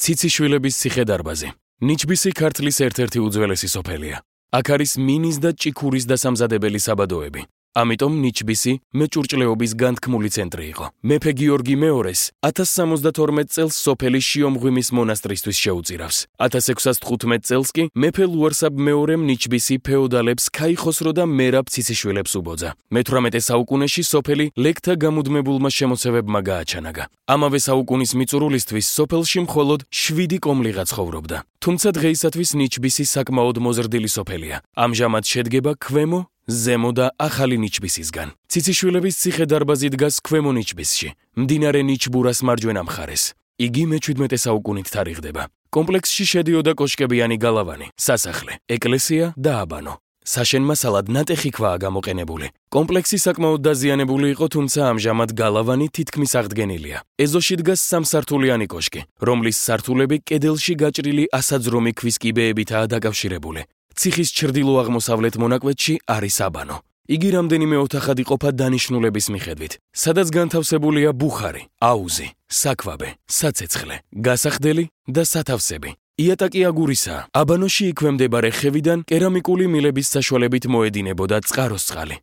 ციციშვილების ციხე-დარბაზი. ნიჩბისი ქართლის ერთ-ერთი უძველესი სოფელია. აქ არის მინის და ჭიქურის დასამზადებელი საბადოები. ამიტომ ნიჩბისი მეჭურჭლეობის განთქმული ცენტრი იყო. მეფე გიორგი მეორეს 1072 წელს სოფელი შიომღვიმის მონასტრისთვის შეუწირავს. 1615 წელს კი მეფე ლუარსაბ მეორემ ნიჩბისი ფეოდალებს ქაიხოსრო და მერაბ ციციშვილებს უბოძა. მე-18 საუკუნეში სოფელი ლეკთა გამუდმებულმა შემოსევებმა გააჩანაგა. ამავე საუკუნის მიწურულისთვის სოფელში მხოლოდ 7 კომლიღა ცხოვრობდა. თუმცა დღეისათვის ნიჩბისი საკმაოდ მოზრდილი სოფელია. ამჟამად შედგება ქვემო, ზემო და ახალი ნიჩბისისგან. ციციშვილების ციხე-დარბაზი დგას ქვემო ნიჩბისში, მდინარე ნიჩბურას მარჯვენა მხარეს. იგი მე-17 საუკუნით თარიღდება. კომპლექსში შედიოდა კოშკებიანი გალავანი, სასახლე, ეკლესია და აბანო. საშენ-მასალად ნატეხი ქვაა გამოყენებული. კომპლექსი საკმაოდ დაზიანებული იყო, თუმცა ამჟამად გალავანი თითქმის აღდგენილია. ეზოში დგას სამსართულიანი კოშკი, რომლის სართულები კედელში გაჭრილი ასაძრომი ქვის კიბეებითაა დაკავშირებული. ციხის ჩრდილო-აღმოსავლეთ მონაკვეთში არის აბანო. იგი რამდენიმე ოთახად იყოფა დანიშნულების მიხედვით, სადაც განთავსებულია ბუხარი, აუზი, საქვაბე, საცეცხლე, გასახდელი და სათავსები. იატაკი აგურისაა. აბანოში იქვე მდებარე ხევიდან კერამიკული მილების საშუალებით მოედინებოდა წყაროს წყალი.